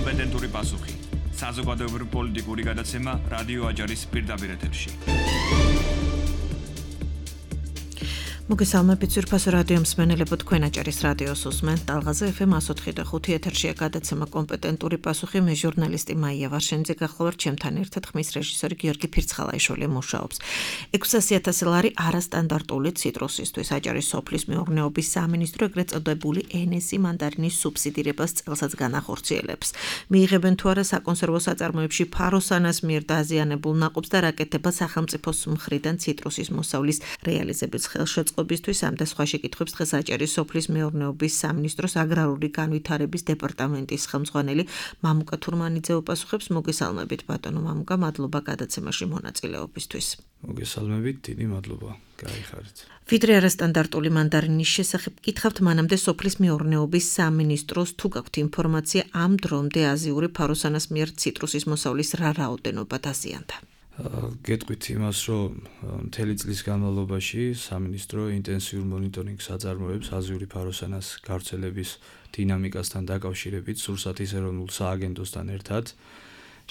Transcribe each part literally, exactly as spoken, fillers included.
კომპეტენტური პასუხი. საზოგადოებრივი პოლიტიკური გადაცემა რადიო აჯარის პირდაპირ ეთერში. მოგესალმებით ძვირფასო რადიო მსმენელებო, თქვენ აჭარის რადიოს უსმენთ ტალღაზე ეფ ემ one oh five და five ეთერშია გადაცემა კომპეტენტური პასუხი. მე ჟურნალისტი მაია ვარშენიძე გახლავართ, ჩემთან ერთად ხმის რეჟისორი გიორგი ფირცხალაიშვილი მუშაობს. ექვსასი ათასი ლარი არასტანდარტული ციტრუსისთვის აჭარის სოფლის მეურნეობის სამინისტრო ეგრეთ წოდებული ენ ეს ი მანდარინის სუბსიდირებას წელსაც განახორციელებს. მიიღებენ თუ არა საკონსერვო საწარმოებში ფაროსანას მიერ დაზიანებულ ნაყოფს და რაკეთება სახელმწიფოს მხრიდან ციტრუსის მოსავლის რეალიზების ხელშეწყობისთვის. ამ და სხვა შეკითხვებს დღეს აჭარის სოფლის მეურნეობის სამინისტროს აგრარული განვითარების დეპარტამენტის ხელმძღვანელი მამუკა თურმანიძე უპასუხებს. მოგესალმებით ბატონო მამუკა, მადლობა გადაცემაში მონაწილეობისთვის. მოგესალმებით, დიდი მადლობა. გაიხარეთ. ვიდრე არასტანდარტული მანდარინის შესახებ გითხავთ, მანამდე სოფლის მეურნეობის სამინისტროს თუ გაქვთ ინფორმაცია ამ დრომდე აზიური ფაროსანას მიერ ციტრუსის მოსავლის რა რაოდენობა დაზიანდა? გეტყვით იმას, რომ მთელი წლის განმავლობაში სამინისტრო ინტენსიურ მონიტორინგს აწარმოებს აზიური ფაროსანას გავრცელების დინამიკასთან დაკავშირებით სურსათის ეროვნულ სააგენტოსთან ერთად.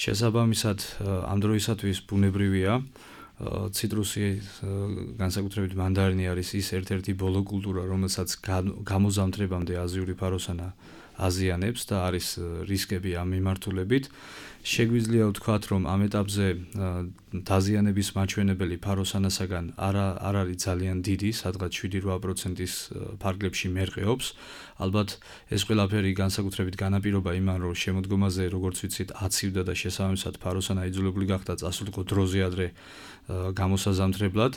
შესაბამისად, ამ დროისათვის ბუნებრივია, ციტრუსი, განსაკუთრებით მანდარინი არის ის ერთ-ერთი ბოლო კულტურა, რომელსაც გამოზამთრებამდე აზიური ფაროსანა აზიანებს და არის რისკები ამ მიმართულებით. შეგვიძლია ვთქვათ, რომ ამ ეტაპზე დაზიანების მაჩვენებელი ფაროსანასაგან არ არ არის ძალიან დიდი, სადღაც შვიდი რვა პროცენტის ფარგლებში მერყეობს. ალბათ ეს ყველაფერი განსაკუთრებით განაპირობა იმან, რომ შემოდგომაზე, როგორც ვიცით, აცივდა და შესაბამისად ფაროსანა იძულებული გახდა წასულიყო დროზე ადრე გამოსაზამთრებლად.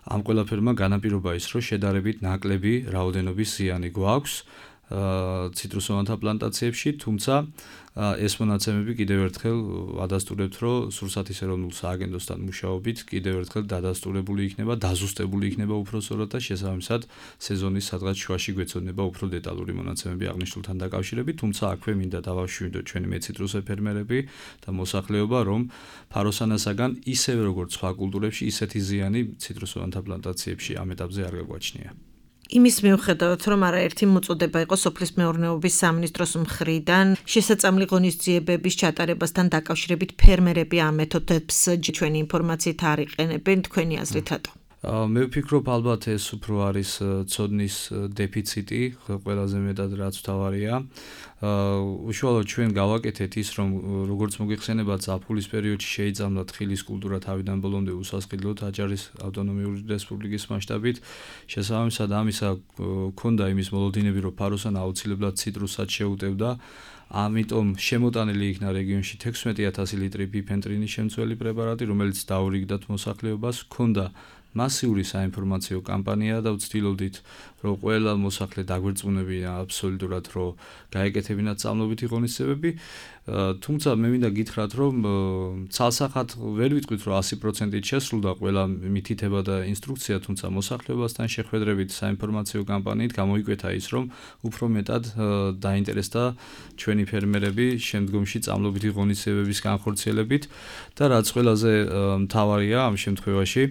ამ ყველაფერმა განაპირობა ის, რომ შედარებით ნაკლები რაოდენობის ზიანი გვაქვს ციტრუსოვანთა პლანტაციებში, თუმცა ეს მონაცემები კიდევ ერთხელ ადასტურებთ, რომ სურსათის ეროვნულ სააგენტოსთან მუშაობით კიდევ ერთხელ დადასტურებული იქნება, დაზუსტებული იქნება უფრო სწორად და შესაბამისად სეზონის სადღაც შუაში გვეცოდნება უფრო დეტალური მონაცემები აღნიშნულთან დაკავშირებით, თუმცა აქვე მინდა დავაშვიდოთ ჩვენი მეციტრუსე ფერმერები და მოსახლეობა, რომ ფაროსანასაგან ისევე როგორც სხვა კულტურებში ისეთი ზიანი ციტრუსოვანთა პლანტაციებში ამ ეტაპზე არ გაგვაჩნია. იმის მიუხედავად, რომ არაერთი მოწოდება იყო სოფლის მეურნეობის სამინისტროს მხრიდან შესაწამლი ღონისძიებების ჩატარებასთან დაკავშირებით, ფერმერები ამ მეთოდებს ჩვენი ინფორმაციით არ იყენებენ, თქვენი აზრით რატო? მე ვფიქრობ, ალბათ ეს უფრო არის ცოდნის დეფიციტი, ყველაზე მეტად რაც მთავარია. უშუალოდ ჩვენ გავაკეთეთ ის, რომ როგორც მოგეხსენებათ, ზაფხულის პერიოდში შეიწამლა თხილის კულტურა თავიდან ბოლომდე უსასყიდლოდ აჭარის ავტონომიური რესპუბლიკის მასშტაბით. შესაბამისად, ამისა ქონდა იმის მოლოდინები, რომ ფაროსანა აუცილებლად ციტრუსად შეუტევდა. ამიტომ შემოტანილი იქნა რეგიონში თექვსმეტი ათასი ლიტრი ბიფენტრინის შემცველი პრეპარატი, რომელიც დაურიგდათ მოსახლეობას. ქონდა მასიური საინფორმაციო კამპანია და ვცდილობდით, რომ ყველა მოსახლე დაგვერწმუნებინა აბსოლუტურად, რომ გაეკეთებინათ სწამლობითი ღონისძიებები. თუმცა მე მინდა გითხრათ, რომ ცალსახად ვერ ვიტყვით, რომ ასი პროცენტით შესრულდა ყველა მითითება და ინსტრუქცია, თუმცა მოსახლეობასთან შეხვედრებით საინფორმაციო კამპანიით გამოიკვეთა ის, რომ უფრო მეტად დაინტერესდა ჩვენი ფერმერები შემდგომში სწამლობითი ღონისძიებების განხორციელებით და რაც ყველაზე მთავარია ამ შემთხვევაში,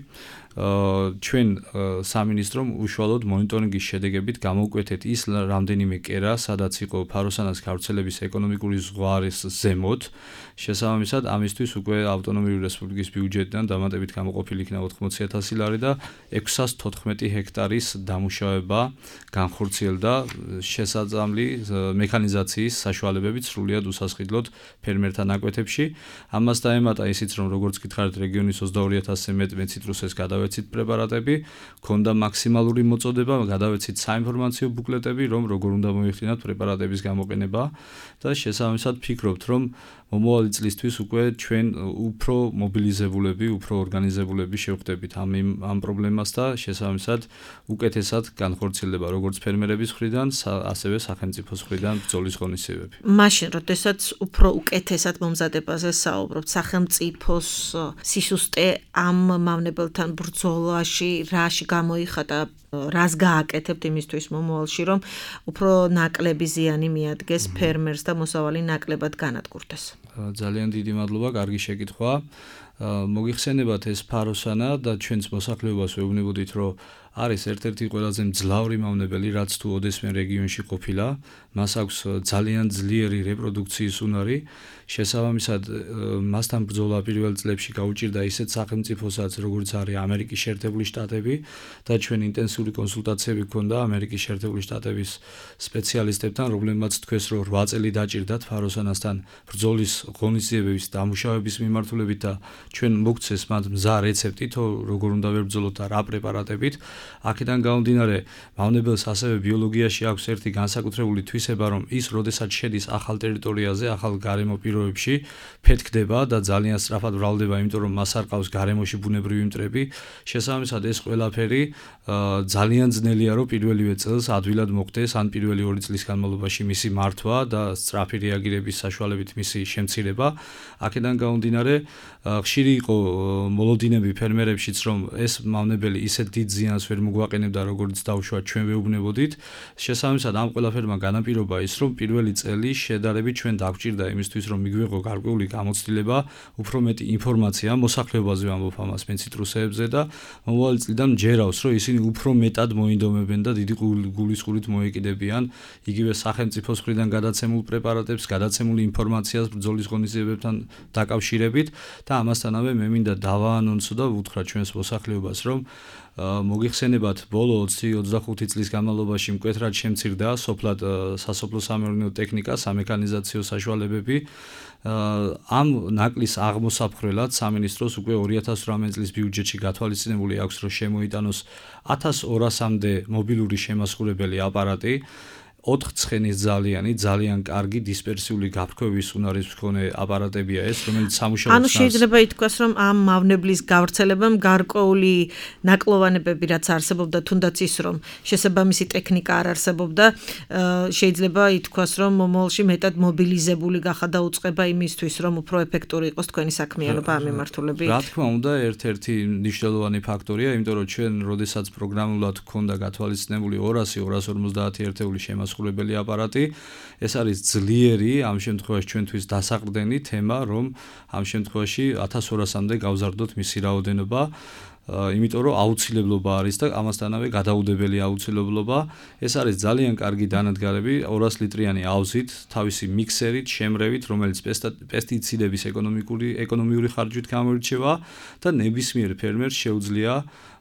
ჩვენ სამინისტრომ უშუალოდ მონიტორინგის შედეგებით გამოვკვეთეთ ის რამდენიმე კერა, სადაც იყო ფაროსანას გავრცელების ეკონომიკური ზღვარის ზემოთ. შესაბამისად, ამისთვის უკვე ავტონომიური რესპუბლიკის ბიუჯეტიდან დამატებით გამოყოფილი იქნა ოთხმოცი ათასი ლარი და ექვსას თოთხმეტი ჰექტარის დამუშავება განხორციელდა შესაძლებელი მექანიზაციის საშუალებებით სრულიად უსასყიდლოდ ფერმერთა ნაკვეთებში. ამას დაემატა ისიც, რომ როგორც გითხარით, რეგიონის ოცდაორი ათასზე მეტ მეციტრუსეს გადავეცით პრეპარატები, ქონდა მაქსიმალური მოწოდება, გადავეცით საინფორმაციო ბუკლეტები, რომ როგორ უნდა მოიხდინათ პრეპარატების გამოყენება და შესაბამისად ფიქრობთ, რომ მომავალი წლისთვის უკვე ჩვენ უფრო მობილიზებულები, უფრო ორგანიზებულები შევხვდებით ამ ამ პრობლემას და შესაბამისად უკეთესად განხორციელდება როგორც ფერმერების მხრიდან, ასევე სახელმწიფოს მხრიდან ბრძოლის ღონისძიებები. მაშინ, როდესაც უფრო უკეთესად მომზადებაზე საუბრობთ, სახელმწიფოს სისუსტე ამ მავნებელთან ბრძოლაში რაში გამოიხატა, რას გააკეთებთ იმისთვის მომავალში, რომ უფრო ნაკლები ზიანი მიადგეს ფერმერს და მოსავალი ნაკლებად განადგურდეს? ძალიან დიდი მადლობა, კარგი შეკითხვა. მოგიხსენებათ ეს ფაროსანა და ჩვენს მოსახლეობას ვეუბნებოდით, რომ არის ერთ-ერთი ყველაზე მძლავრი მავნებელი, რაც თუ ოდესმე რეგიონში ყოფილა, მას აქვს ძალიან ძლიერი რეპროდუქციის უნარი, შესაბამისად მასთან ბრძოლა პირველ წლებში გაუჭირდა ისეთ სახელმწიფოსაც, როგორც არის ამერიკის შეერთებული შტატები და ჩვენ ინტენსიური კონსულტაციები გქონდა ამერიკის შეერთებული შტატების სპეციალისტებთან, რომლებმაც თქვეს, რომ რვა წელი დაჭირდათ ფაროსანასთან ბრძოლის ღონისძიებების დამუშავების მიმართულებით და ჩვენ მოგცეს მათ მზა რეცეპტი, თუ როგორ უნდა ვებრძოლოთ და რა პრეპარატებით. აქედან გამომდინარე, მავნებელს ასევე ბიოლოგიაში აქვს ერთი განსაკუთრებული თვისება, რომ ის, როდესაც შედის ახალ ტერიტორიაზე, ახალ გარემო პირობებში, ფეთქდება და ძალიან სწრაფად ვრალდება, იმიტომ რომ მას არ ყავს გარემოში ბუნებრივი მტრები. შესაბამისად, ეს ყველაფერი ძალიან ძნელია, რომ პირველივე წელს ადვილად მოხდეს, ან პირველი ორი წლის განმავლობაში მისი მართვა და სწრაფი რეაგირების საშუალებით მისი შემცირება. აქედან გამომდინარე, ხშირი იყო მოლოდინები ფერმერებშიც, რომ ეს მავნებელი ისეთ დიდ ზიანს ვერ მოგვაყენებდა, როგორც დავუშვათ ჩვენ ვეუბნებოდით. შესაბამისად, ამ ყველაფერმა განაპირობა ის, რომ პირველი წელი შედარებით ჩვენ დაგვჭირდა იმისთვის, რომ მიგვიღო გარკვეული გამოცდილება, უფრო მეტი ინფორმაცია მოსახლეობაზე ვამბობ ამას მე ციტრუსეებზე და მომავალი წლიდან მჯერავს, რომ ისინი უფრო მეტად მოინდომებენ და დიდი გულისყურით მოეკიდებიან იგივე სახელმწიფოს მხრიდან გადაცემულ პრეპარატებს, გადაცემულ ინფორმაციას ბრძოლის ღონისძიებებთან დაკავშირებით და ამასთანავე მე მინდა დავაანონსო და ვუთხრა ჩვენს მოსახლეობას, რომ მოგიხსენებათ, ბოლო ოცი ოცდახუთი წლის განმავლობაში მკვეთრად შემცირდა სოფლად სასოფლო სამეურნეო ტექნიკა, სამექანიზაციო საშუალებები. ამ ნაკლის აღმოსაფხრელად სამინისტროს უკვე ორი ათას ოცდაოთხ წლის ბიუჯეტში გათვალისწინებული აქვს, რომ შემოიტანოს ათას ორასამდე მობილური შემასხურებელი აპარატი. ოთხ ცხენის ძალიანი, ძალიან კარგი დისპერსიული გაფრქვევის უნარის მქონე აპარატებია ეს, რომელიც სამუშაოს ანუ შეიძლება ითქვას, რომ ამ მავნებლის გავრცელებამ გარკვეული ნაკლოვანებები რაც არსებობდა, თუნდაც ის, რომ შესაბამისი ტექნიკა არ არსებობდა, შეიძლება ითქვას, რომ მომავალში მეტად მობილიზებული გახადა უწყება იმისთვის, რომ უფრო ეფექტური იყოს თქვენი საქმიანობა ამ მიმართულებით. რა თქმა უნდა, ერთ-ერთი მნიშვნელოვანი ფაქტორია, იმიტომ რომ ჩვენ, როდესაც პროგრამულად გქონდა გათვალისწინებული ორასი ორას ორმოცდაათი ერთეული შემას ხურებელი აპარატი, ეს არის ძლიერი, ამ შემთხვევაში ჩვენთვის დასაყრდენი თემა, რომ ამ შემთხვევაში ათას ორასამდე გავზარდოთ მისი რაოდენობა, იმიტომ რომ აუცილებლობა არის და ამასთანავე გადაუდებელი აუცილებლობა. ეს არის ძალიან კარგი დანადგარები, ორას litrიანი ავზით, თავისი მიქსერით, შემრევით, რომელიც პესტიციდების ეკონომიკური ეკონომიური ხარჯვით გამოირჩევა და ნებისმიერ ფერმერს შეუძლია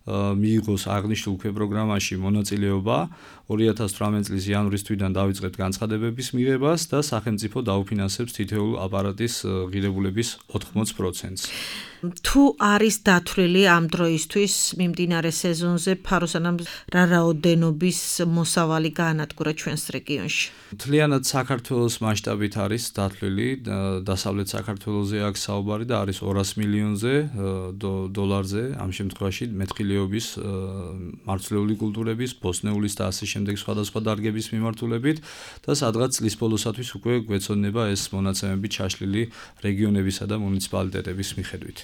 მიიღოს აღნიშნულ პროგრამაში მონაწილეობა. ორი ათას ოცდაოთხ წლის იანვრის თვიდან დავიწყებთ განცხადებების მიღებას და სახელმწიფო დაუფინანსებს თითოეულ აპარატის ღირებულების ოთხმოც პროცენტს. თუ არის დათვლილი ამ დროისთვის მიმდინარე სეზონზე ფაროსანამ რა რაოდენობის მოსავალი გაანადგურა ჩვენს რეგიონში? მთლიანად საქართველოს მასშტაბით არის დათვლილი, დასავლეთ საქართველოზე აქვს საუბარი და არის ორას მილიონზე დოლარზე, ამ შემთხვევაში მეტყილეობის, მარცვლეული კულტურების, ბოსტნეულის და ასე შემდეგ სხვადასხვა დარგების მიმართულებით და სადღაც წლის ბოლოსათვის უკვე გვეცოდება ეს მონაცემები ჩაშლილი რეგიონებისა და მუნიციპალიტეტების მიხედვით.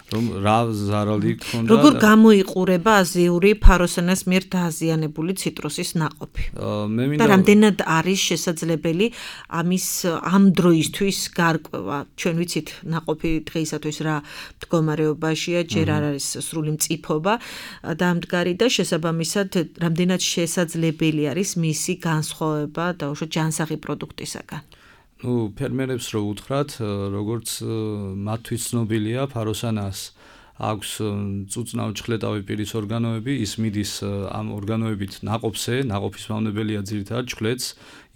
რომ რა ზარალი გქონდა როგორ გამოიყურება აზიური ფაროსანას მიერ დააზიანებული ციტრუსის ნაყოფი? მე მინდა და რამდენად არის შესაძლებელი ამის ამ დროისთვის გარკვევა? ჩვენ ვიცით ნაყოფი დღეისათვის რა მდგომარეობაშია, ჯერ არ არის სრული მწიფობა დამდგარი და შესაბამისად რამდენად შესაძლებელი არის მისი განსხვავება და უშო ჯანსაღი პროდუქტისაგან? ნუ ფერმერებს რო უთხრათ, როგორც მათთვის ცნობილია, ფაროსანას აქვს წუწნავ ჩხლეტავი პირის ორგანოები, ის მიდის ამ ორგანოებით ნაყოფზე, ნაყოფის მავნებელია ძირითადად ჩხლეტს,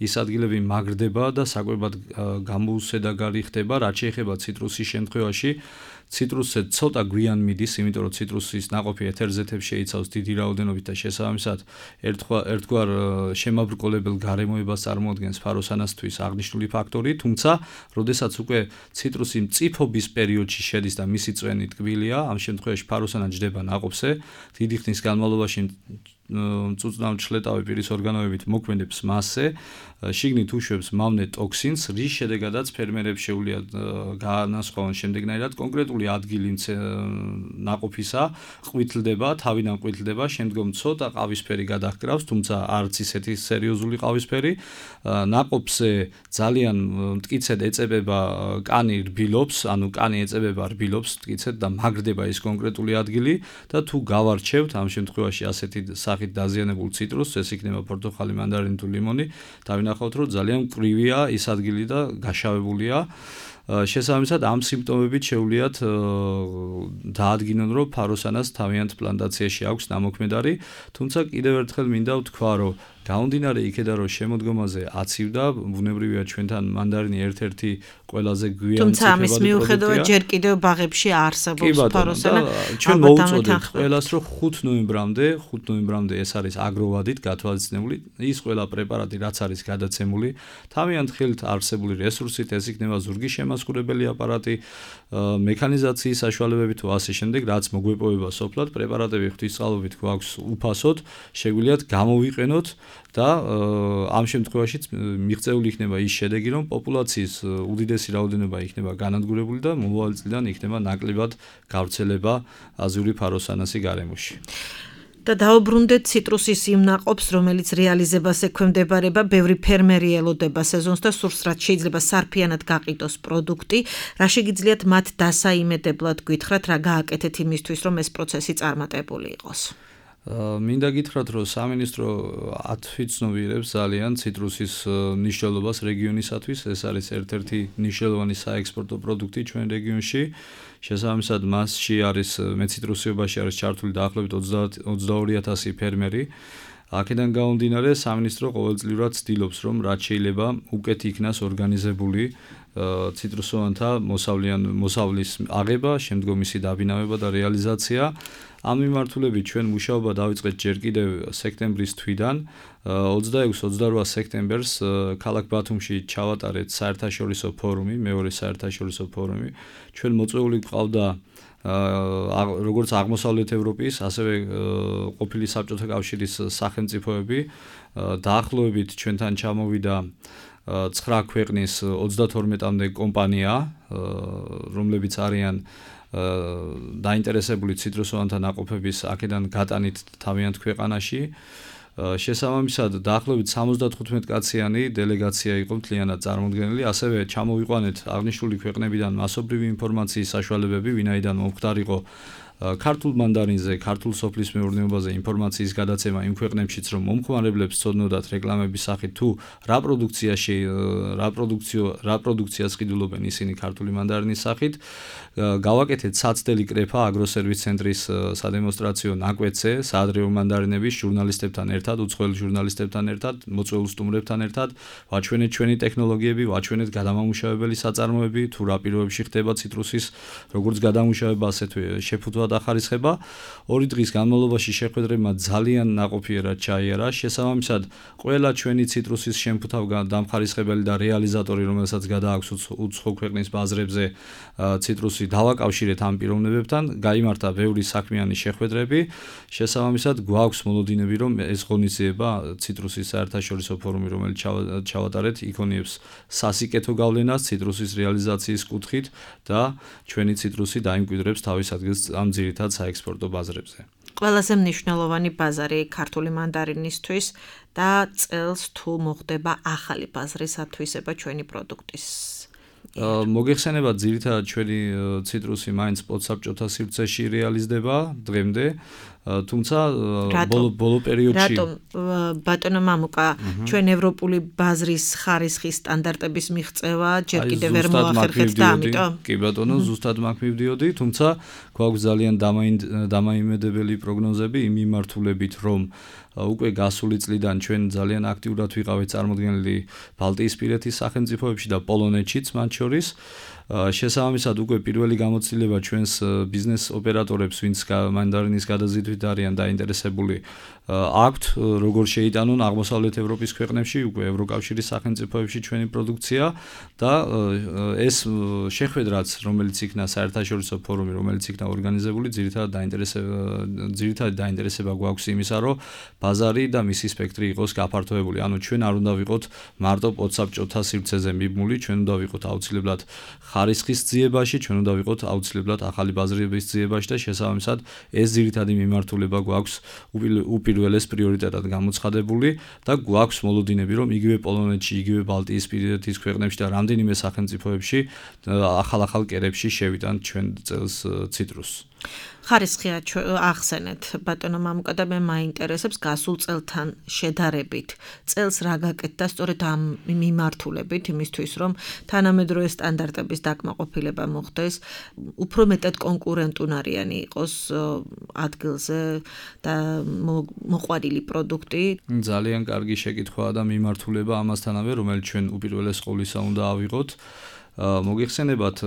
ის ადგილები მაგრდება და საკვებად გამოუსედაგარი ხდება, რაც შეეხება ციტრუსის შემთხვევაში. ციტრუსზე ცოტა გვიან მიდის, იმიტომ რომ ციტრუსის ნაყოფი ეთერზეთებს შეიცავს დიდი რაოდენობით და შესაბამისად ერთგვარ შემაბრკოლებელ გარემოებას წარმოადგენს ფაროსანასთვის აღნიშნული ფაქტორი, თუმცა, როდესაც უკვე ციტრუსი მწიფობის პერიოდში შედის და მისი წვენი ტკბილია, ამ შემთხვევაში ფაროსანა ჯდება ნაყოფზე, დიდი ხნის განმავლობაში მწუწნავ ჩლეტავი პირის ორგანოებით მოქმედებს მასზე, შიგნით უშვებს მავნე ტოქსინს, რის შედეგადაც ფერმერებს შეუძლიათ გაანასხვაონ შემდეგნაირად კონკრეტული ადგილი ნაყოფისა ყვითლდება, თავიდან ყვითლდება, შემდგომ ცოტა ყავისფერი გადაჰკრავს, თუმცა არც ისეთი სერიოზული ყავისფერი. ნაყოფზე ძალიან მტკიცედ ეწებება კანი რბილობს, ანუ კანი ეწებება რბილობს მტკიცედ და მაგრდება ის კონკრეტული ადგილი და თუ გავარჩევთ ამ შემთხვევაში ასეთი სახით დაზიანებულ ციტრუსს, ეს იქნება პორტოხალი, მანდარინი თუ ლიმონი, დავინახავთ, რომ ძალიან მკვრივია ის ადგილი და გაშავებულია. შესაბამისად ამ სიმპტომებით შეუძლიათ დაადგინონ, რომ ფაროსანას თავიანთ პლანტაციაში აქვს ნამოქმედარი, თუმცა კიდევ ერთხელ მინდა ვთქვა, რომ გამომდინარე იქედან, რომ შემოდგომაზე აცივდა, ბუნებრივია ჩვენთან მანდარინი ერთ-ერთი ყველაზე გვიანი თუმცა ამის მიუხედავად ჯერ კიდევ ბაღებში არსებობს ფაროსანა. ჩვენ მოუწოდეთ ყველას, რომ ხუთ ნოემბრამდე, ხუთ ნოემბრამდე ეს არის აგროვადით გათვალისწინებული, ის ყველა პრეპარატი, რაც არის გადაცემული, თავიანთ ხელთ არსებული რესურსით, ეს იქნება ზურგის შემასკურებელი აპარატი, მექანიზაციის საშუალებები თუ ასე შემდეგ, რაც მოგვეპოვება სოფლად, პრეპარატები ღვთისწყალობით გვაქვს უფასოდ, შეგვიძლიათ გამოვიყენოთ და ამ შემთხვევაშიც მიღწეული იქნება ის შედეგი, რომ პოპულაციის უდიდესი რაოდენობა იქნება განადგურებული და მომავალ წლიდან იქნება ნაკლებად გავრცელება აზიური ფაროსანასი გარემოში. და დაუბრუნდეთ ციტრუსის იმ ნაყოფს, რომელიც რეალიზებას ექვემდებარება, ბევრი ფერმერი ელოდება სეზონს და სურს, რაც შეიძლება სარფიანად გაყიდოს პროდუქტი, რა შეგიძლიათ მათ დასაიმედებლად გითხრათ, რა გააკეთეთ იმისთვის, რომ ეს პროცესი წარმატებული იყოს. მინდა გითხრათ, რომ სამინისტრო ათვიცნობიერებს ძალიან ციტრუსის მნიშვნელობას რეგიონისათვის, ეს არის ერთ-ერთი მნიშვნელოვანი საექსპორტო პროდუქტი ჩვენ რეგიონში. შესაბამისად, მასში არის მეციტრუსიობაში არის ჩართული დაახლოებით ოცდაორი ათასი ფერმერი. აქედან გამომდინარე, სამინისტრო ყოველწლიურად ცდილობს, რომ რაც შეიძლება უკეთ იქნას ორგანიზებული ციტრუსოვანთა მოსავლის აღება, შემდგომ მისი დაბინავება და რეალიზაცია. ამ მიმართულებით ჩვენ მუშაობა დავიწყეთ ჯერ კიდევ სექტემბრის თვიდან. ოცდაექვსი ოცდაორი სექტემბერს ქალაქ ბათუმში ჩავატარეთ საერთაშორისო ფორუმი, მეორე საერთაშორისო ფორუმი. ჩვენ მოწვეული გვყავდა როგორც აღმოსავლეთ ევროპის, ასევე ყოფილი საბჭოთა კავშირის სახელმწიფოები. დაახლოებით ჩვენთან ჩამოვიდა ცხრა ქვეყნის ოცდათორმეტამდე კომპანია, რომლებიც არიან დაინტერესებული ციტრუსოვანთა ნაყოფების აქედან გატანით თავიანთ ქვეყანაში. შესაბამისად, დაახლოებით სამოცდათხუთმეტ კაციანი დელეგაცია იყო მთლიანად წარმოდგენილი, ასევე ჩამოვიყვანეთ აღნიშნული ქვეყნებიდან მასობრივი ინფორმაციის საშუალებები, ვინაიდან მომხდარიყო ქართულ მანდარინზე, ქართულ სოფლის მეურნეობაზე ინფორმაციის გადაცემა იმ ქვეყნებშიც, რომ მომხმარებლებს ცოდნოდათ რეკლამების სახით თუ რა პროდუქციაში, რა პროდუქციო, რა პროდუქციას ყიდულობენ ისინი ქართული მანდარინის სახით. გავაკეთეთ საცდელი კრეფა აგროსერვის ცენტრის სადემონსტრაციო ნაკვეთზე, საადრეო მანდარინების ჟურნალისტებთან ერთად, უცხოელ ჟურნალისტებთან ერთად, მოწვეულ სტუმრებთან ერთად, ვაჩვენეთ ჩვენი ტექნოლოგიები, ვაჩვენეთ გადამამუშავებელი საწარმოები, თუ რა პირობებში ხდება ციტრუსის როგორც გადამუშავება, ასეთვე შეფუთვა დახარისხება. ორი დღის განმავლობაში შეხვედრებმა ძალიან ნაყოფიერად ჩაიარა. შესაბამისად, ყველა ჩვენი ციტრუსის შემფუთავ დამხარისხებელი და რეალიზატორი, რომელსაც გადააქვს უცხო ქვეყნის ბაზრებზე ციტრუსი დავაკავშირეთ ამ პიროვნებებთან, გაიმართა ბევრი საქმიანი შეხვედრები. შესაბამისად, გვაქვს მოლოდინები, რომ ეს ღონისძიება ციტრუსის საერთაშორისო ფორუმი, რომელიც ჩავატარეთ, იქონიებს სასიკეთო გავლენას ციტრუსის რეალიზაციის კუთხით და ჩვენი ციტრუსი დაიმკვიდრებს თავის ადგილს ამ ძირითად საექსპორტო ბაზრებზე. ყველაზე მნიშვნელოვანი ბაზარი ქართული მანდარინისთვის და წელს თუ მოხდება ახალი ბაზრის ათვისება ჩვენი პროდუქტის. მოგეხსენება ძირითადად ჩვენი ციტრუსი მაინც პოდსაბჭოთა სივრცეში რეალიზდება დღემდე, თუმცა ბოლო ბოლო პერიოდში რატომ ბატონო მამუკა ჩვენ ევროპული ბაზრის ხარისხის სტანდარტების მიღწევა ჯერ კიდევ ვერ მოახერხეთ და ამიტომ კი ბატონო ზუსტად მაგ მივდიოდი, თუმცა გვაქვს ძალიან დამაიმედებელი პროგნოზები იმ მიმართულებით, რომ უკვე გასული წლიდან ჩვენ ძალიან აქტიურად ვიყავით წარმოდგენილი ბალტიისპირეთის სახელმწიფოებში და პოლონეთშიც მათ შორის. შესაბამისად უკვე პირველი გამოცდილება ჩვენს ბიზნეს ოპერატორებს, ვინც მანდარინის გადაზიდვით არიან დაინტერესებული, აქვთ, როგორ შეიტანონ აღმოსავლეთ ევროპის ქვეყნებში, უკვე ევროკავშირის სახელმწიფოებში ჩვენი პროდუქცია და ეს შეხვედრაც, რომელიც იქნა საერთაშორისო ფორუმი, რომელიც იქნა ორგანიზებული, ძირითადად დაინტერესება ძირითადად დაინტერესება გვაქვს იმისა, რომ ბაზარი და მისი სპექტრი იყოს გაფართოებული. ანუ ჩვენ არ უნდა ვიყოთ მარტო პოდსაბჭოთა სივრცეზე მიბმული, ჩვენ უნდა ვიყოთ აუცილებლად ხარისხის ძიებაში, ჩვენ უნდა ვიყოთ აუცილებლად ახალი ბაზრების ძიებაში და შესაბამისად ეს ძირითადი მიმართულება გვაქვს უპირველეს პრიორიტეტად გამოცხადებული და გვაქვს მოლოდინები, რომ იგივე პოლონეთში, იგივე ბალტიისპირეთის ქვეყნებში და რამდენიმე სახელმწიფოებში ახალ-ახალ კერებში შევიტანთ ჩვენ წელს ციტრუსს. ხარისხია ახსენეთ ბატონო მამუკა და მე მაინტერესებს გასულ წელთან შედარებით. წელს რა გაკეთდა სწორედ ამ მიმართულებით იმისთვის, რომ თანამედროვე სტანდარტების დაკმაყოფილება მოხდეს, უფრო მეტად კონკურენტუნარიანი იყოს ადგილზე და მოყვანილი პროდუქტი. ძალიან კარგი შეკითხვაა და მიმართულება ამასთანავე, რომელიც ჩვენ უპირველეს ყოვლისა უნდა ავიღოთ. მოგიხსენებათ,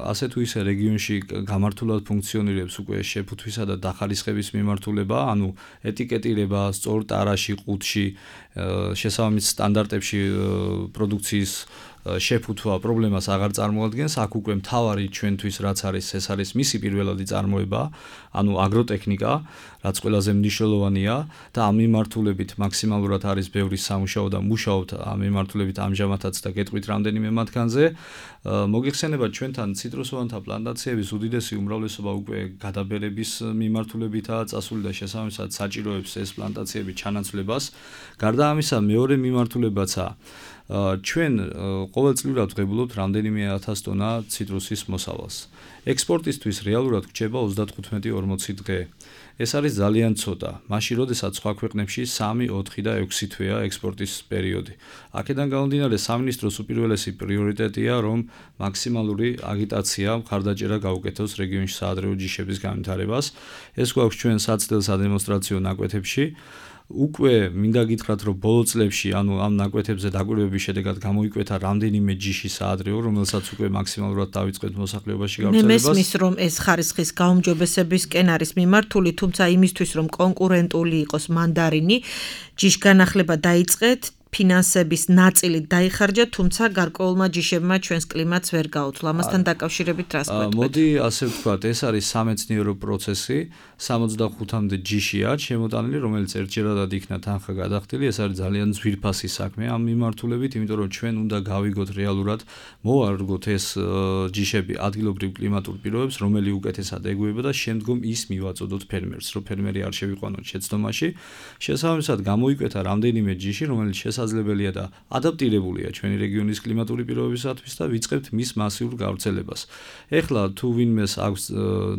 ასე თუ ისე რეგიონში გამართულად ფუნქციონირებს უკვე შეფუთვისა და დახარისხების მიმართულება, ანუ ეტიკეტირება სწორ ტარაში, ყუთში, შესაბამის სტანდარტებში პროდუქციის შეფუთვა პრობლემას აღარ წარმოადგენს. აქ უკვე მთავარი ჩვენთვის რაც არის, ეს არის მისი პირველადი წარმოება, ანუ აგროტექნიკა, რაც ყველაზე მნიშვნელოვანია და ამ მიმართულებით მაქსიმალურად არის ბევრი სამუშაო და მუშაობთ ამ მიმართულებით ამჟამადაც და გეტყვით რამდენიმე მათგანზე. მოგიხსენებათ, ჩვენთან ციტრუსოვანთა პლანტაციების უდიდესი უმრავლესობა უკვე გადაბერების მიმართულებითაა წასული და შესაბამისად საჭიროებს ეს პლანტაციები ჩანაცვლებას. გარდა ამისა, მეორე მიმართულებაცაა ჩვენ ყოველწლიურად ვღებულობთ რამდენიმე ათას ტონა ციტრუსის მოსავალს. ექსპორტისთვის რეალურად გვჭება ოცდათხუთმეტი ორმოცი დღე. ეს არის ძალიან ცოტა. მაშინ, როდესაც სხვა ქვეყნებში სამი, ოთხი და ექვსი თვეა ექსპორტის პერიოდი. აქედან გამომდინარე, სამინისტროს უპირველესი პრიორიტეტია, რომ მაქსიმალური აგიტაცია, მხარდაჭერა გაუკეთოს რეგიონში საადრეო ჯიშების განვითარებას. ეს გვაქვს ჩვენ საცდელ სადემონსტრაციო ნაკვეთებში. უკვე მინდა გითხრათ, რომ ბოლო წლებში, ანუ ამ ნაკვეთებზე დაკვირვების შედეგად გამოიკვეთა რამდენიმე ჯიში საადრეო, რომელსაც უკვე მაქსიმალურად დავიწყეთ მოსახლეობაში გავრცელებას. მე მესმის, რომ ეს ხარისხის გაუმჯობესებისკენ არის მიმართული, თუმცა იმისთვის, რომ კონკურენტული იყოს მანდარინი, ჯიშგანახლება დაიწყეთ, ფინანსების ნაწილი დაიხარჯა, თუმცა გარკვეულმა ჯიშებმა ჩვენს კლიმატს ვერ გაუძლო. ამასთან დაკავშირებით რას გვეტყვით? მოდი ასე ვთქვათ, ეს არის სამეცნიერო პროცესი, სამოცდახუთამდე ჯიშია შემოტანილი, რომელიც ერთჯერადად იქნა თანხა გადახდილი. ეს არის ძალიან ძვირფასი საქმე ამ მიმართულებით, იმიტომ რომ ჩვენ უნდა გავიგოთ რეალურად, მოვარგოთ ეს ჯიშები ადგილობრივ კლიმატურ პირობებს, რომელი უკეთესად ეგუება და შემდგომ ის მივაწოდოთ ფერმერს, რომ ფერმერი არ შევიყვანოთ შეცდომაში. შესაბამისად, გამოიკვეთა რამდენიმე ჯიში, რომელიც შესაძლებელია და ადაპტირებულია ჩვენი რეგიონის კლიმატური პირობებისათვის და ვიწყებთ მის მასიურ გავრცელებას. ეხლა თუ ვინმეს აქვს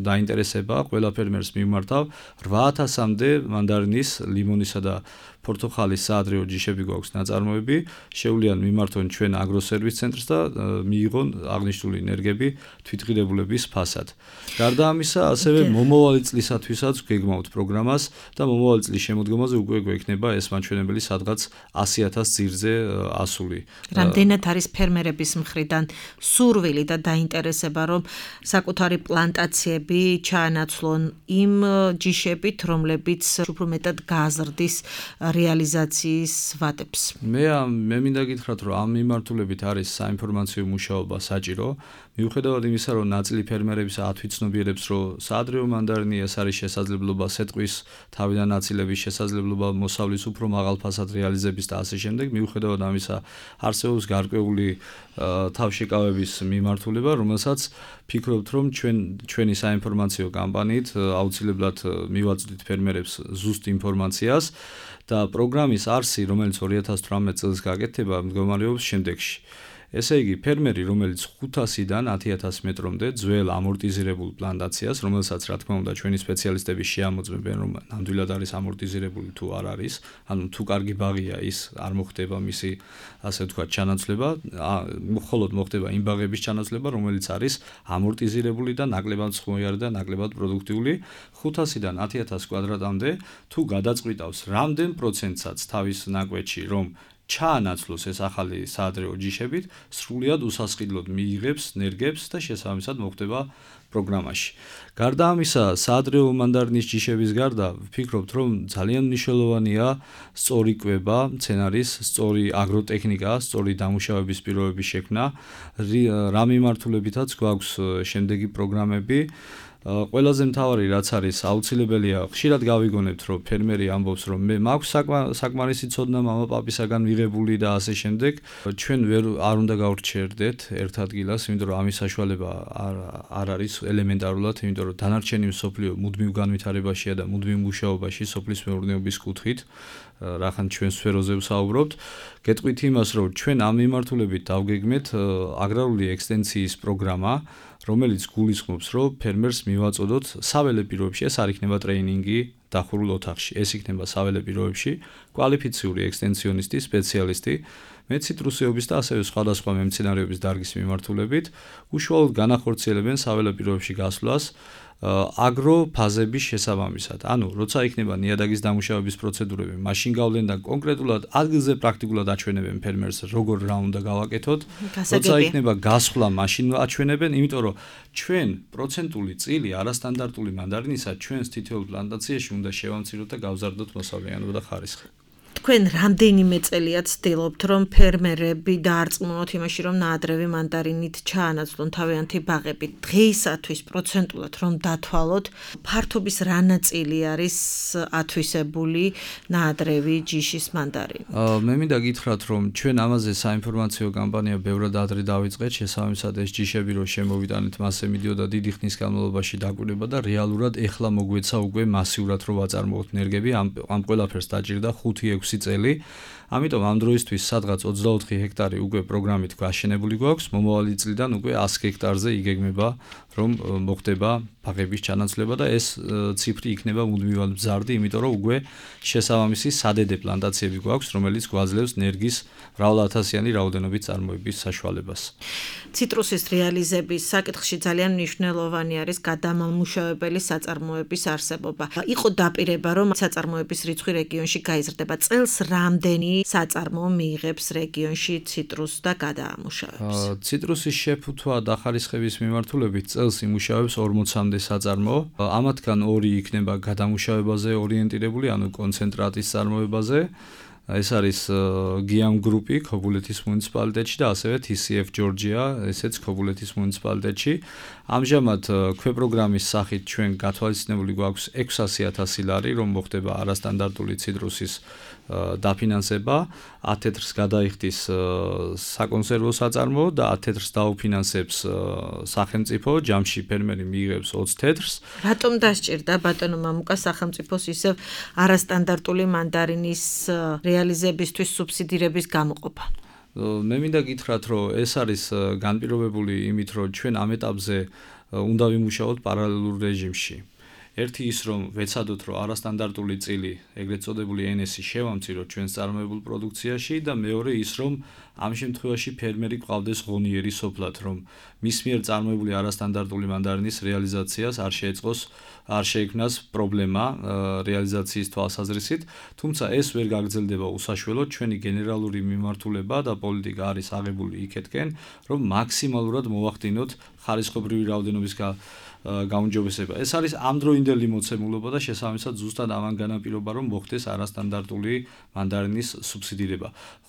დაინტერესება, ყველა ფერმერს მიმართავ რვა ათასამდე მანდარინის, ლიმონისა და პორტოხალის საადრეო ჯიშები გვაქვს ნაწარმოები, შეუძლიან მიმართონ ჩვენ აგროსერვის ცენტრს და მიიღონ აღნიშნული ენერგები თვითღირებულების ფასად. გარდა ამისა, ასევე მომავალი წლისათვისაც გეგმავთ პროგრამას და მომავალი წლის შემოდგომაზე უკვე გვექნება ეს მაჩვენებელი სადღაც ასი ათას ძირზე ასული. რამდენად არის ფერმერების მხრიდან სურვილი და დაინტერესება, რომ საკუთარი პლანტაციები ჩაანაცვლონ იმ ჯიშებით, რომლებიც უფრო მეტად გააზრდის რეალიზაციის ვადებს. მე მე მინდა გითხრათ, რომ ამ მიმართულებით არის საინფორმაციო მუშაობა საჭირო. მიუხედავად იმისა, რომ ნაწილი ფერმერების ათვიცნობიერებს, რომ საადრეო მანდარინი ეს არის შესაძლებლობა სეტყვის თავიდან აწილების შესაძლებლობა მოსავლის უფრო მაღალ ფასად რეალიზების და ასე შემდეგ, მიუხედავად ამისა არსებობს გარკვეული თავშეკავების მიმართულება, რომელსაც ფიქრობთ, რომ ჩვენ ჩვენი საინფორმაციო კამპანიით აუცილებლად მივაწვდით ფერმერებს ზუსტ ინფორმაციას და პროგრამის არსი, რომელიც ორი ათას თვრამეტ წელს გაკეთდება, მდგომარეობს შემდეგში. ესე იგი, ფერმერი, რომელიც ხუთასიდან ათი ათას მეტრამდე ძველ ამორტიზირებულ პლანტაციას, რომელსაც რა თქმა უნდა ჩვენი სპეციალისტები შეამოწმებენ, რომ ნამდვილად არის ამორტიზირებული თუ არ არის, ანუ თუ კარგი ბაღია ის არ მოხდება მისი, ასე ვთქვათ, ჩანაცვლება, მხოლოდ მოხდება იმ ბაღების ჩანაცვლება, რომელიც არის ამორტიზირებული და ნაკლებად ხმოვანი და ნაკლებად პროდუქტიული. ხუთასიდან ათი ათას კვადრატამდე თუ გადაწყვიტავს რამდენ პროცენტსაც თავის ნაკვეთში, რომ ჩაანაცვლოს ეს ახალი საადრეო ჯიშებით, სრულად უსასყიდლოდ მიიღებს, ნერგებს და შესაბამისად მოხდება პროგრამაში. გარდა ამისა, საადრეო მანდარინის ჯიშების გარდა, ვფიქრობთ, რომ ძალიან მნიშვნელოვანია სწორი კვება, მცენარის, სწორი აგროტექნიკა, სწორი დამუშავების პირობების შექმნა, რა მიმართულებითაც გვაქვს შემდეგი პროგრამები. ყველაზე მთავარი რაც არის აუცილებელია, ხშირად გავიგონებთ, რომ ფერმერი ამბობს, რომ მე მაქვს საკმარისი ცოდნა მამაპაპისაგან მიღებული და ასე შემდეგ. ჩვენ ვერ არ უნდა გავრჩერდეთ ერთ ადგილას, იმიტომ რომ ამის საშუალება არ არ არის ელემენტარულად, იმიტომ რომ დანარჩენი მსოფლიო მუდმივ განვითარებაშია და მუდმივ მუშაობაში სოფლის მეურნეობის კუთხით. რახან ჩვენ სფეროზე ვსაუბრობთ, გეტყვით იმას, რომ ჩვენ ამ მიმართულებით დავგეგმეთ აგრარული ექსტენსიის პროგრამა, რომელიც გულისხმობს, რომ ფერმერს მივაწოდოთ საველე პირობებში, ეს არ იქნება ტრეინინგი დახურულ ოთახში, ეს იქნება საველე პირობებში კვალიფიციური ექსტენსიონისტი, სპეციალისტი, მე ციტრუსეობის და ასევე სხვადასხვა მემცენარეობის დარგის მიმართულებით უშუალოდ განახორციელებენ საველე პირობებში გასვლას აგროფაზების შესაბამისად. ანუ, როცა იქნება ნიადაგის დამუშავების პროცედურები, მაშინ გავლენ და კონკრეტულად ადგილზე პრაქტიკულად აჩვენებენ ფერმერს, როგორ რა უნდა გავაკეთოთ. როცა იქნება გასვლა, მაშინ აჩვენებენ, იმიტომ რომ ჩვენ პროცენტული წილი არასტანდარტული მანდარინისა ჩვენს თითოეულ პლანტაციაში უნდა შევამციროთ და გავზარდოთ მოსავლიანობა და ხარისხი. თქვენ რამდენიმე წელია ცდილობთ, რომ ფერმერები დაარწმუნოთ იმაში, რომ ნაადრევი მანდარინით ჩაანაცვლონ თავიანთი ბაღები. დღეისათვის პროცენტულად რომ დათვალოთ, ფართობის რა ნაწილი არის ათვისებული ნაადრევი ჯიშის მანდარინით? მე მინდა გითხრათ, რომ ჩვენ ამაზე საინფორმაციო კამპანია ბევრად ადრე დავიწყეთ, შესაბამისად ეს ჯიშები რომ შემოვიტანეთ, მასზე მიდიოდა დიდი ხნის განმავლობაში დაკვირვება და რეალურად ეხლა მოგვეცა უკვე მასიურად რომ ვაწარმოოთ ნერგები, ამ ამ ყველაფერს დაჭირდა ხუთი ექვსი წელი. ამიტომ ამ დროისთვის სადღაც ოცდაოთხი ჰექტარი უკვე პროგრამით გაშენებული გვაქვს, მომავალი წლიდან უკვე ასი ჰექტარზე იგეგმება, რომ მოხდება ბაღების ჩანაცვლება და ეს ციფრი იქნება მუდმივად მზარდი, იმიტომ რომ უკვე შესაბამისი სადედე პლანტაციები გვაქვს, რომელიც გვაძლევს ნერგის მრავალათასიანი რაოდენობის წარმოების საშუალებას. ციტრუსის რეალიზების საკითხში ძალიან მნიშვნელოვანი არის გადამამუშავებელი საწარმოების არსებობა. იყო დაპირება, რომ საწარმოების რიცხვი რეგიონში გაიზრდება. წელს რამდენი საწარმოო მიიღებს რეგიონში ციტრუსს და გადაამუშავებს? ციტრუსის შეფუთვა და ხარისხების მიმართულებით წელს იმუშავებს ორმოცამდე საწარმოო. ამათგან ორი იქნება გადამუშავებაზე ორიენტირებული, ანუ კონცენტრატის წარმოებაზე. ეს არის გიამ გრუპი ქობულეთის მუნიციპალიტეტში და ასევე თი სი ეფ ჯორჯია, ესეც ქობულეთის მუნიციპალიტეტში. ამჟამად ქვეპროგრამის სახით ჩვენ გათვალისწინებული გვაქვს ექვსასი ათასი ლარი, რომ მოხდება არასტანდარტული ციტრუსის დაფინანსება, ათ თეთრს გადაიხდის საკონსერვო საწარმოო და ათ თეთრს დაუფინანსებს სახელმწიფო, ჯამში ფერმერი მიიღებს ოცი თეთრს. რატომ დასჭირდა ბატონო მამუკა სახელმწიფოს ისევ არასტანდარტული მანდარინის რეალიზებისთვის სუბსიდირების გამოყოფა? მე მინდა გითხრათ, რომ ეს არის განპირობებული იმით, რომ ჩვენ ამ ეტაპზე უნდა ვიმუშაოთ პარალელურ რეჟიმში. ერთი ის რომ ვეცადოთ რომ არასტანდარტული წილი, ეგრეთ წოდებული ენ ესი შევამციროთ ჩვენს წარმოებულ პროდუქციაში და მეორე ის რომ ამ შემთხვევაში ფერმერი ყავდეს ღონიერი სოფლად, რომ მის მიერ წარმოებული არასტანდარტული მანდარინის რეალიზაციას არ შეეწყოს, არ შეექმნას პრობლემა რეალიზაციის თვალსაზრისით, თუმცა ეს ვერ გაგრძელდება უსაშველოდ, ჩვენი გენერალური მიმართულება და პოლიტიკა არის აღებული იქეთკენ, რომ მაქსიმალურად მოვახდინოთ ხარისხობრივი რაოდენობის გაუმჯობესება. ეს არის ამდროინდელი მოცემულობა და შესაბამისად ზუსტად ამან განაპირობა, რომ მოხდეს არასტანდარტული მანდარინის სუბსიდირება.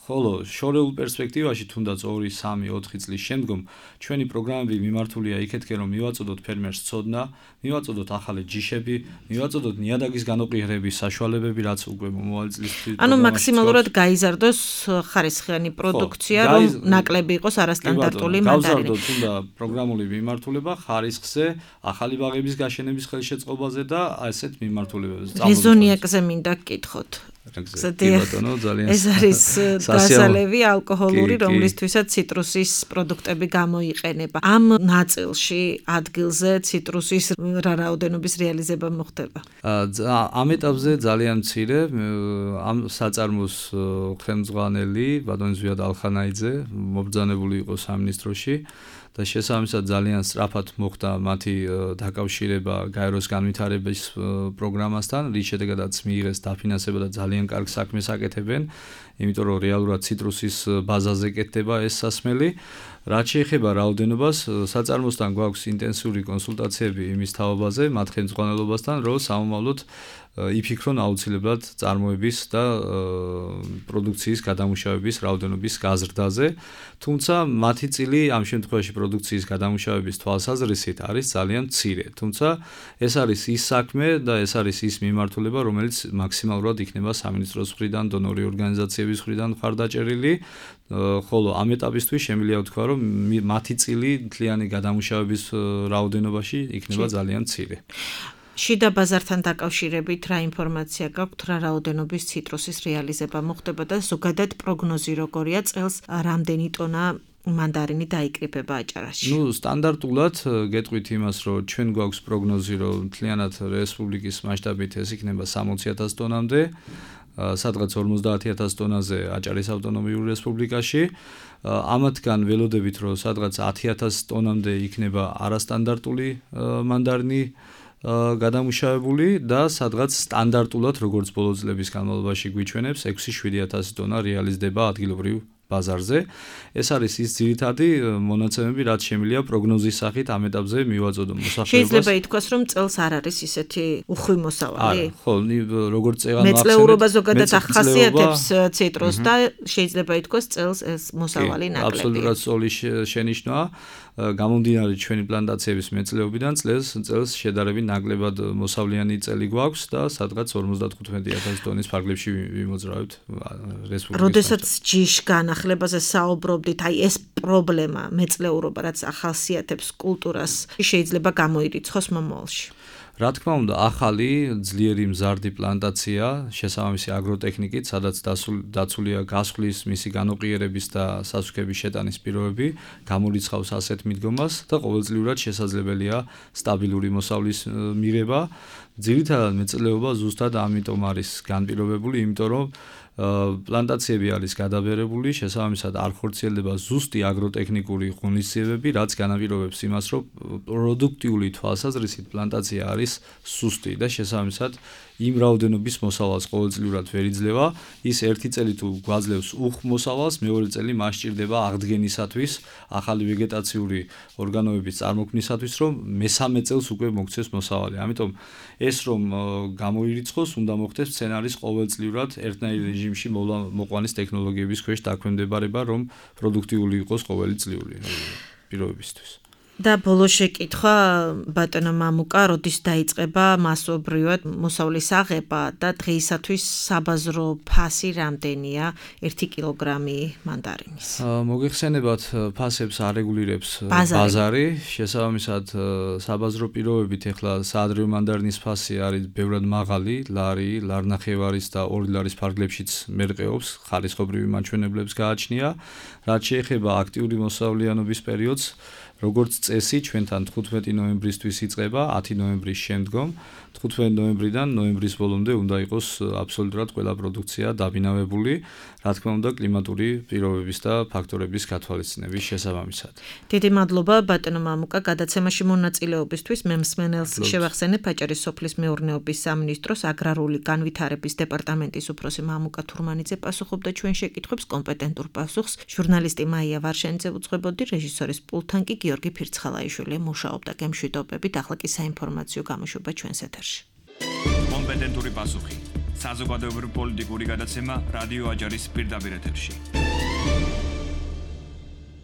ხოლო შორეულ პერსპექტივაში თუნდაც ორი, სამი, ოთხი წლის შემდგომ ჩვენი პროგრამები მიმართულია იქეთკენ, რომ მივაწოდოთ ფერმერს ცოდნა, მივაწოდოთ ახალი ჯიშები, მივაწოდოთ ნიადაგის განოყიერების საშუალებები, რაც უკვე მომავალი წლის ანუ მაქსიმალურად გაიზარდოს ხარისხიანი პროდუქცია, რომ ნაკლები იყოს არასტანდარტული მანდარინი. გავზარდოთ თუნდა პროგრამული მიმართულება ხარისხზე, ახალი ბაღების გაშენების ხელშეწყობაზე და ასეთ მიმართულებებზე. რეზონიაკზე მინდა გკითხოთ. ეს არის დასალევი ალკოჰოლური, რომლისთვისაც ციტრუსის პროდუქტები გამოიყენება. ამ ნაწილში ადგილზე ციტრუსის რა რაოდენობის რეალიზება მოხდება? ამ ეტაპზე ძალიან მცირე, ამ საწარმოს ხელმძღვანელი ბატონი ზვიად ალხანაიძე მობრძანებული იყო სამინისტროში და შესაბამისად ძალიან სწრაფად მოხდა მათი დაკავშირება გაეროს განვითარების პროგრამასთან, რის შედეგადაც მიიღეს დაფინანსება და ძალიან ძალიან კარგ საქმეს აკეთებენ, იმიტომ რომ რეალურად ციტრუსის ბაზაზე კეთდება ეს სასმელი. რაც შეეხება რაოდენობას, საწარმოსთან გვაქვს ინტენსიური კონსულტაციები იმის თაობაზე, მათ ხელმძღვანელობასთან, რომ სამომავლოდ იფიქრონ აუცილებლად წარმოების და პროდუქციის გადამუშავების რაოდენობის გაზრდაზე, თუმცა მათი წილი ამ შემთხვევაში პროდუქციის გადამუშავების თვალსაზრისით არის ძალიან მცირე. თუმცა ეს არის ის საქმე და ეს არის ის მიმართულება, რომელიც მაქსიმალურად იქნება სამინისტროს მხრიდან, დონორი ორგანიზაციების მხრიდან მხარდაჭერილი, ხოლო ამ ეტაპისთვის შემიძლია ვთქვა, რომ მათი წილი მთლიანი გადამუშავების რაოდენობაში იქნება ძალიან მცირე. შიდა ბაზართან დაკავშირებით რა ინფორმაცია გაქვთ, რა რაოდენობის ციტრუსის რეალიზება მოხდება და ზოგადად პროგნოზი როგორია, წელს რამდენი ტონა მანდარინი დაიკრიფება აჭარაში? ნუ სტანდარტულად გეტყვით იმას, რომ ჩვენ გვაქვს პროგნოზი, რომ მთლიანად რესპუბლიკის მასშტაბით ეს იქნება სამოცი ათას ტონამდე, სადღაც ორმოცდაათი ათას ტონაზე აჭარის ავტონომიურ რესპუბლიკაში. ამათგან ველოდებით, რომ სადღაც ათი ათას ტონამდე იქნება არასტანდარტული მანდარინი გადამუშავებული და სადღაც სტანდარტულად, როგორც ბოლო წლების განმავლობაში გვიჩვენებს, ექვსი შვიდი ათასი ტონა რეალიზდება ადგილობრივ ბაზარზე. ეს არის ის ძირითადი მონაცემები, რაც შემიძლია პროგნოზის სახით ამ ეტაპზე მივაწოდო მოსახლეობას. შეიძლება ითქვას, რომ წელს არ არის ისეთი უხვი მოსავალი? არა, ხო, როგორც წეგან მეწლეურობა ზოგადად ახასიათებს ციტრუსს და შეიძლება ითქვას, წელს ეს მოსავალი ნაკლებია. აბსოლუტურად სწორი შენიშვნაა. გამომდინარე ჩვენი პლანტაციების მეწლეობიდან წელს წელს შედარებით ნაკლებად მოსავლიანი წელი გვაქვს და სადღაც ორმოცდათხუთმეტი ათასი ტონის ფარგლებში ვიმოძრავებთ რესპუბლიკის. როდესაც ჯიშ განახლებაზე საუბრობდით, აი ეს პრობლემა მეწლეურობა, რაც ახასიათებს კულტურას, შეიძლება გამოირიცხოს მომავალში. რა თქმა უნდა, ახალი ძლიერი მზარდი პლანტაცია, შესაბამისი აგროტექნიკით, სადაც დაცულია გასხლის, მისი განოყიერების და სასუქების შეტანის პირობები, გამორიცხავს ასეთ მიდგომას და ყოველწლიურად შესაძლებელია სტაბილური მოსავლის მიღება. ძირითადად მეწლეობა ზუსტად ამიტომ არის განპირობებული, იმიტომ რომ პლანტაციები არის გადაბერებული, შესაბამისად არ ხორციელდება ზუსტი აგროტექნიკური ღონისძიებები, რაც განაპირობებს იმას, რომ პროდუქტიული თვალსაზრისით პლანტაცია არის სუსტი და შესაბამისად იმ რაოდენობის მოსავალს ყოველწლიურად ვერ იძლევა. ის ერთი წელი თუ გვაძლევს უხ მოსავალს, მეორე წელი მას სჭირდება აღდგენისათვის, ახალი ვეგეტაციური ორგანოების წარმოქმნისათვის, რომ მესამე წელს უკვე მოქცეს მოსავალი. ამიტომ ეს რომ გამოირიცხოს, უნდა მოხდეს სცენარის ყოველწლიურად ერთნაირი რეჟიმში მოყვანის ტექნოლოგიების ქვეშ დაქვემდებარება, რომ პროდუქტიული იყოს ყოველი წლიური პირობებისთვის. და ბოლო შეკითხვა ბატონო მამუკა, როდის დაიწყება მასობრივად მოსავლის აღება და დღეისათვის საბაზრო ფასი რამდენია ერთი კილოგრამი მანდარინის? მოგეხსენებათ, ფასებს არეგულირებს ბაზარი, შესაბამისად საბაზრო პირობებით ეხლა საადრევი მანდარინის ფასი არის ბევრად მაღალი, ლარი, ლარნახევარის და ორი ლარის ფარგლებშიც მერყეობს, ხარისხობრივი მაჩვენებლებს გააჩნია. რაც შეეხება აქტიური მოსავლიანობის პერიოდს, როგორც წესი, ჩვენთან თხუთმეტი ნოემბრისთვის იწყება, ათი ნოემბრის შემდგომ, თხუთმეტი ნოემბრიდან ნოემბრის ბოლომდე უნდა იყოს აბსოლუტურად ყველა პროდუქცია დაბინავებული, რა თქმა უნდა, კლიმატური პირობების და ფაქტორების გათვალისწინების შესაბამისად. დიდი მადლობა ბატონო მამუკა, გადაცემაში მონაწილეობისთვის. მე მსმენელს შევახსენებ, აჭარის სოფლის მეურნეობის სამინისტროს აგრარული განვითარების დეპარტამენტის უფროსი მამუკა თურმანიძე პასუხობდა ჩვენ შეკითხვებს, კომპეტენტურ პასუხს ჟურნალისტი მაია ვარშენიძე უძღვებოდი, რეჟისორის პულტთან კი გიორგი ფირცხალაიშვილი მუშაობდა. გემშვიდობებით, ახლა კი საინფორმაციო გამოშვება ჩვენს ეთერში. კომპეტენტური პასუხი. საზოგადოებრივი პოლიტიკური გადაცემა რადიო აჭარის პირდაპირ ეთერში.